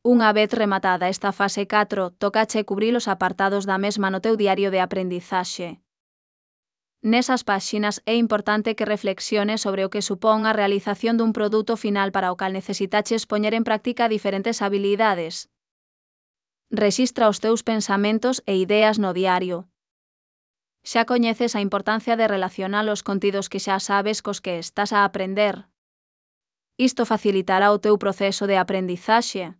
Unha vez rematada esta fase 4, tócache cubrir os apartados da mesma no teu diario de aprendizaxe. Nesas páxinas é importante que reflexiones sobre o que supón a realización dun produto final para o cal necesitaches poñer en práctica diferentes habilidades. Rexistra os teus pensamentos e ideas no diario. Xa coñeces a importancia de relacionar os contidos que xa sabes cos que estás a aprender. Isto facilitará o teu proceso de aprendizaxe.